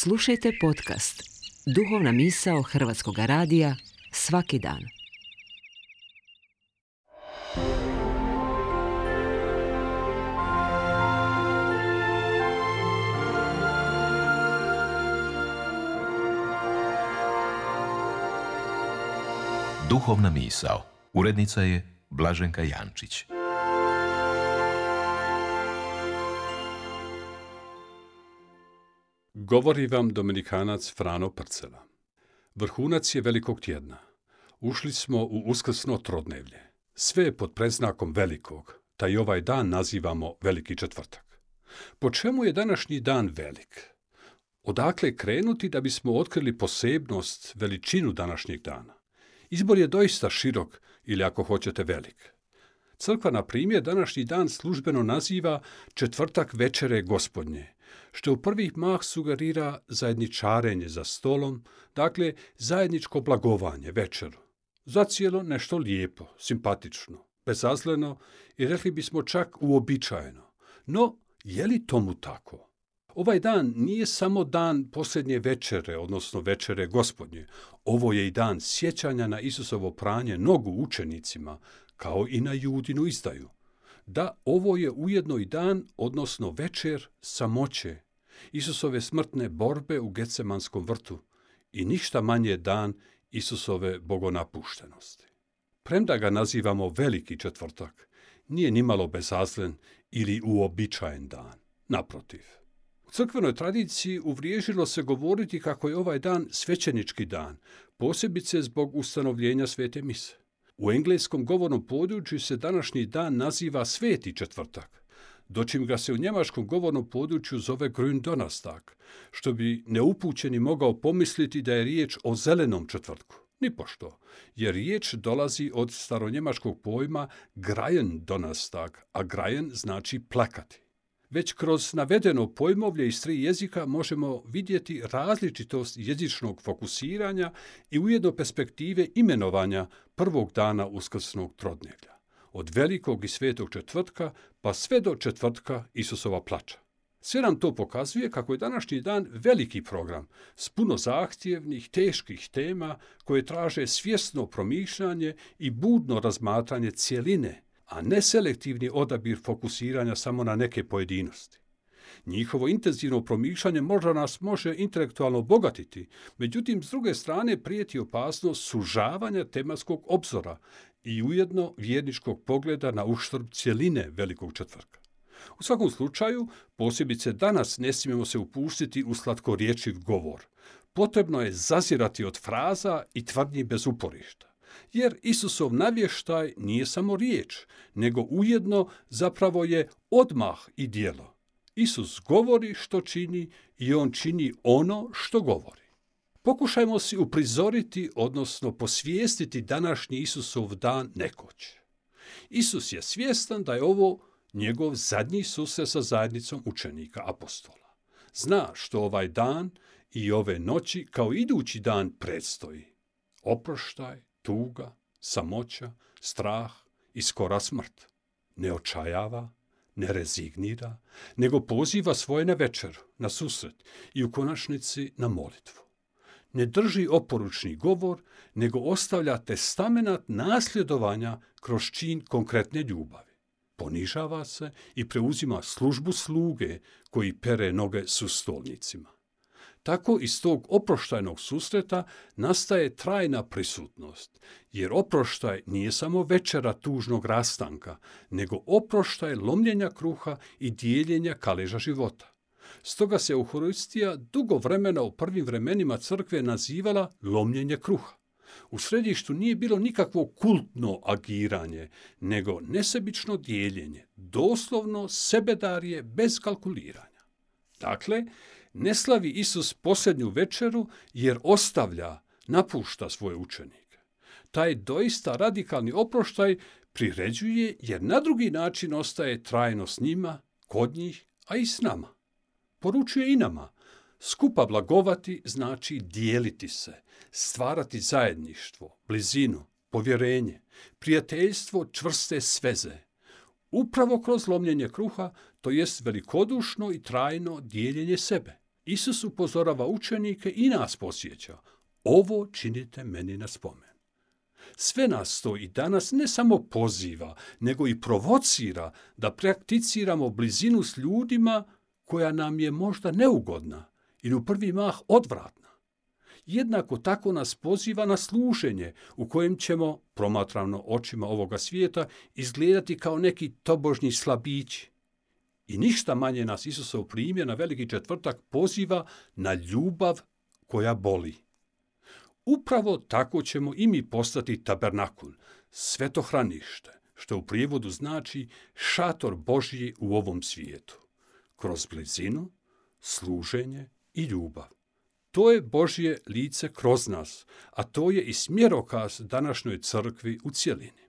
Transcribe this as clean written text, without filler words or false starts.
Slušajte podcast Duhovna misao Hrvatskog radija svaki dan. Duhovna misao. Urednica je Blaženka Jančić. Govori vam Dominikanac Frano Prcela. Vrhunac je velikog tjedna. Ušli smo u uskrsno trodnevlje. Sve je pod predznakom velikog, taj ovaj dan nazivamo Veliki četvrtak. Po čemu je današnji dan velik? Odakle krenuti da bismo otkrili posebnost, veličinu današnjeg dana? Izbor je doista širok ili ako hoćete velik. Crkva, na primjer, današnji dan službeno naziva četvrtak večere Gospodnje, što u prvih mah sugerira zajedničarenje za stolom, dakle zajedničko blagovanje, večeru. Zacijelo nešto lijepo, simpatično, bezazleno i rekli bismo čak uobičajeno. No, je li tomu tako? Ovaj dan nije samo dan posljednje večere, odnosno večere Gospodnje. Ovo je i dan sjećanja na Isusovo pranje nogu učenicima, kao i na Judinu izdaju. Da, ovo je ujedno i dan, odnosno večer samoće, Isusove smrtne borbe u Getsemanskom vrtu i ništa manje dan Isusove bogonapuštenosti. Premda ga nazivamo Veliki četvrtak, nije nimalo bezazlen ili uobičajen dan. Naprotiv. U crkvenoj tradiciji uvriježilo se govoriti kako je ovaj dan svećenički dan, posebice zbog ustanovljenja svete mise. U engleskom govornom području se današnji dan naziva Sveti četvrtak, dočim ga se u njemačkom govornom području zove Gründonnerstag, što bi neupućeni mogao pomisliti da je riječ o zelenom četvrtku. Nipošto, jer riječ dolazi od staronjemačkog pojma Grajendonnerstag, a Grajen znači plakati. Već kroz navedeno pojmovlje iz 3 jezika možemo vidjeti različitost jezičnog fokusiranja i ujedno perspektive imenovanja prvog dana uskrsnog trodnevlja, od velikog i svetog četvrtka pa sve do četvrtka Isusova plača. Sve nam to pokazuje kako je današnji dan veliki program s puno zahtjevnih, teških tema koje traže svjesno promišljanje i budno razmatranje cjeline, a ne selektivni odabir fokusiranja samo na neke pojedinosti. Njihovo intenzivno promišljanje možda nas može intelektualno obogatiti, međutim, s druge strane prijeti opasnost sužavanja tematskog obzora i ujedno vjerničkog pogleda na uštrb cjeline Velikog četvrtka. U svakom slučaju, posebice danas ne smijemo se upustiti u slatkorječiv govor. Potrebno je zazirati od fraza i tvrdnji bez uporišta. Jer Isusov navještaj nije samo riječ, nego ujedno zapravo je odmah i djelo. Isus govori što čini i on čini ono što govori. Pokušajmo si uprizoriti, odnosno posvijestiti današnji Isusov dan nekoć. Isus je svjestan da je ovo njegov zadnji susret sa zajednicom učenika apostola. Zna što ovaj dan i ove noći kao idući dan predstoji. Oproštaj, tuga, samoća, strah i skora smrt. Ne očajava, ne rezignira, nego poziva svoje na večeru, na susret i u konačnici na molitvu. Ne drži oporučni govor, nego ostavlja testamenat nasljedovanja kroz čin konkretne ljubavi. Ponižava se i preuzima službu sluge koji pere noge sustolnicima. Tako iz tog oproštajnog susreta nastaje trajna prisutnost, jer oproštaj nije samo večera tužnog rastanka, nego oproštaj lomljenja kruha i dijeljenja kaleža života. Stoga se Euharistija dugo vremena u prvim vremenima crkve nazivala lomljenje kruha. U središtu nije bilo nikakvo kultno agiranje, nego nesebično dijeljenje, doslovno sebedarje bez kalkuliranja. Dakle, ne slavi Isus posljednju večeru jer ostavlja, napušta svoje učenike. Taj doista radikalni oproštaj priređuje jer na drugi način ostaje trajno s njima, kod njih, a i s nama. Poručuje i nama. Skupa blagovati znači dijeliti se, stvarati zajedništvo, blizinu, povjerenje, prijateljstvo, čvrste sveze. Upravo kroz lomljenje kruha, to jest velikodušno i trajno dijeljenje sebe. Isus upozorava učenike i nas podsjeća. Ovo činite meni na spomen. Sve nas to i danas ne samo poziva, nego i provocira da prakticiramo blizinu s ljudima koja nam je možda neugodna ili u prvi mah odvratna. Jednako tako nas poziva na služenje u kojem ćemo, promatrano očima ovoga svijeta, izgledati kao neki tobožnji slabići. I ništa manje nas Isusov primjer na Veliki četvrtak poziva na ljubav koja boli. Upravo tako ćemo i mi postati tabernakul, svetohranište, što u prijevodu znači šator Božji u ovom svijetu, kroz blizinu, služenje i ljubav. To je Božje lice kroz nas, a to je i smjerokaz današnjoj crkvi u cjelini.